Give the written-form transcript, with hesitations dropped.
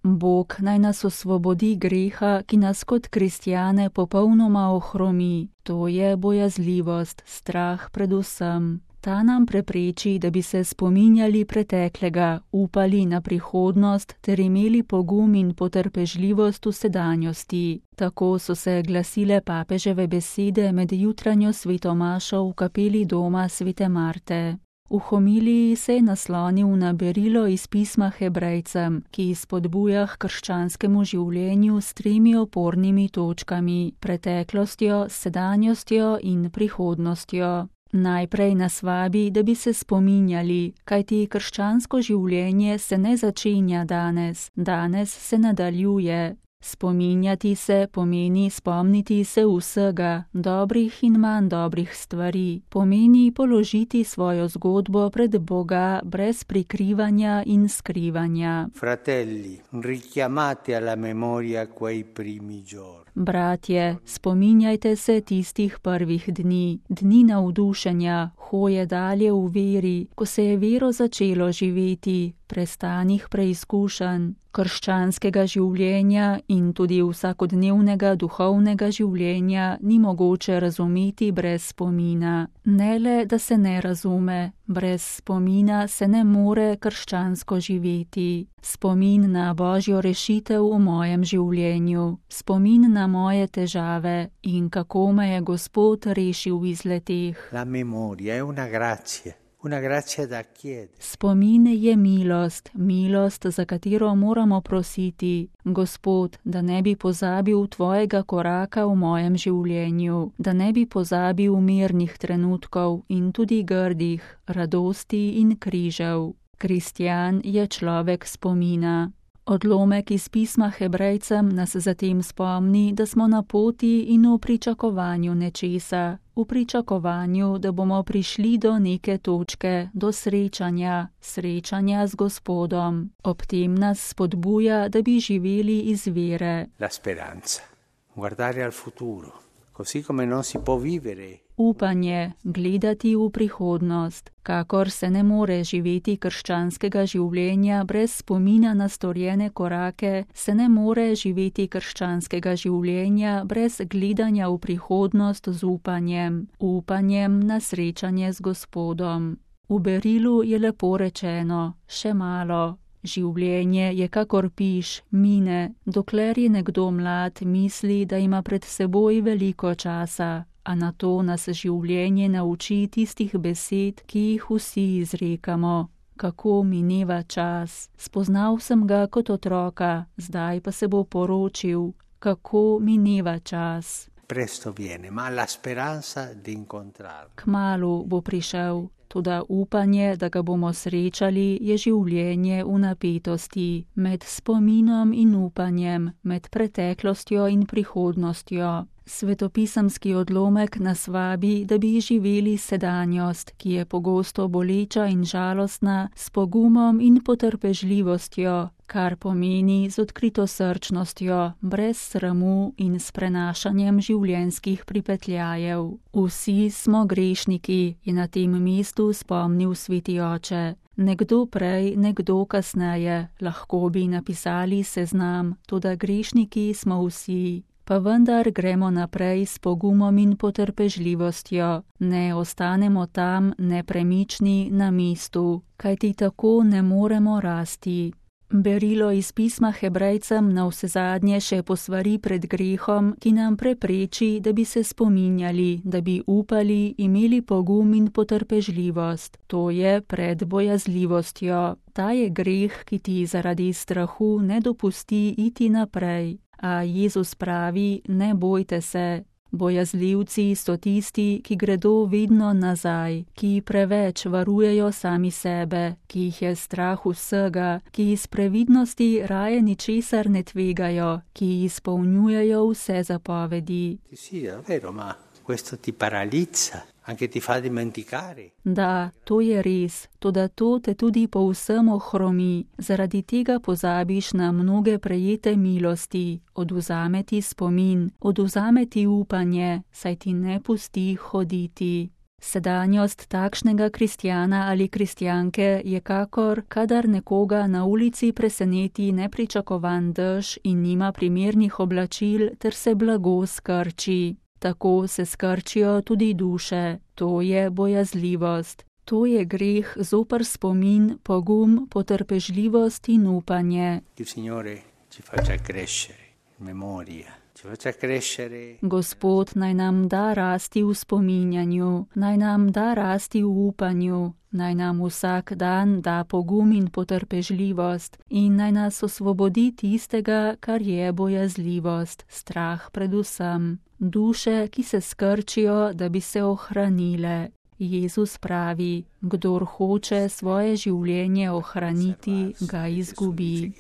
Bog naj nas osvobodi greha, ki nas kot kristjane popolnoma ohromi, to je bojazljivost, strah pred vsem. Ta nam prepreči, da bi se spominjali preteklega, upali na prihodnost ter imeli pogum in potrpežljivost v sedanjosti. Tako so se glasile papeževe besede med jutranjo svetomašo v kapeli doma svete Marte. V homiliji se je naslonil na berilo iz pisma Hebrejcem, ki spodbuja k krščanskemu življenju s 3 opornimi točkami: preteklostjo, sedanjostjo in prihodnostjo. Najprej nas vabi, da bi se spominjali, kajti krščansko življenje se ne začenja danes, danes se nadaljuje. Spominjati se pomeni spomniti se vsega, dobrih in manj dobrih stvari. Pomeni položiti svojo zgodbo pred Boga brez prikrivanja in skrivanja. Fratelli, richiamate alla memoria quei primi giorni. Bratje, spominjajte se tistih prvih dni, dni navdušenja, hoje dalje v veri, ko se je vero začelo živeti, prestanih preizkušanj, krščanskega življenja in tudi vsakodnevnega duhovnega življenja ni mogoče razumeti brez spomina. Ne le, da se ne razume, brez spomina se ne more krščansko živeti. Spomin na Božjo rešitev v mojem življenju, spomin na moje težave in kako me je Gospod rešil iz leteh. La memoria è una grazia da chiedere. Spomin je milost, milost, za katero moramo prositi. Gospod, da ne bi pozabil tvojega koraka v mojem življenju, da ne bi pozabil mirnih trenutkov in tudi grdih, radosti in križev. Kristjan je človek spomina. Odlomek iz pisma Hebrejcem nas zatem spomni, da smo na poti in v pričakovanju nečesa, v pričakovanju, da bomo prišli do neke točke, do srečanja z Gospodom. Ob tem nas spodbuja, da bi živeli iz vere. La speranza, guardare al futuro, così come non si può vivere. Upanje, gledati v prihodnost. Kakor se ne more živeti krščanskega življenja brez spomina na storjene korake, se ne more živeti krščanskega življenja brez gledanja v prihodnost z upanjem na srečanje z Gospodom. V berilu je lepo rečeno, še malo. Življenje je kakor piš, mine, dokler je nekdo mlad, misli, da ima pred seboj veliko časa. A na to nas življenje nauči tistih besed, ki jih vsi izrekamo. Kako mineva čas. Spoznal sem ga kot otroka, zdaj pa se bo poročil. Kako mineva čas. Presto viene, ma la speranza di incontrarlo. Kmalu bo prišel, toda upanje, da ga bomo srečali, je življenje v napetosti, med spominom in upanjem, med preteklostjo in prihodnostjo. Svetopisemski odlomek nas vabi, da bi živeli sedanjost, ki je pogosto boleča in žalostna, s pogumom in potrpežljivostjo, kar pomeni z odkritosrčnostjo, brez sramu in s prenašanjem življenjskih pripetljajev. Vsi smo grešniki, je na tem mestu spomnil sveti oče. Nekdo prej, nekdo kasneje, lahko bi napisali seznam, toda grešniki smo vsi. Pa vendar gremo naprej s pogumom in potrpežljivostjo, ne ostanemo tam nepremični na mestu, kajti tako ne moremo rasti. Berilo iz pisma Hebrejcem navsezadnje še posvari pred grehom, ki nam prepreči, da bi se spominjali, da bi upali, imeli pogum in potrpežljivost. To je pred bojazljivostjo. Ta je greh, ki ti zaradi strahu ne dopusti iti naprej. A Jezus pravi, ne bojte se. Bojazljivci so tisti, ki gredo vedno nazaj, ki preveč varujejo sami sebe, ki jih je strah vsega, ki iz previdnosti raje ničesar ne tvegajo, ki izpolnjujejo vse zapovedi. Questo ti paralizza, anche ti fa dimenticare. Da, to je res, toda to te tudi povsem ohromi, zaradi tega pozabiš na mnoge prejete milosti, odvzame ti spomin, odvzame ti upanje, saj ti ne pusti hoditi. Sedanjost takšnega kristjana ali kristjanke je kakor, kadar nekoga na ulici preseneti nepričakovan dež in nima primernih oblačil ter se blago skrči. Tako se skrčijo tudi duše, to je bojazljivost. To je greh zoper spomin, pogum, potrpežljivost in upanje. Gospod naj nam da rasti v spominjanju, naj nam da rasti v upanju, naj nam vsak dan da pogum in potrpežljivost in naj nas osvobodi tistega, kar je bojazljivost, strah predvsem. Duše, ki se skrčijo, da bi se ohranile. Jezus pravi, kdor hoče svoje življenje ohraniti, ga izgubi.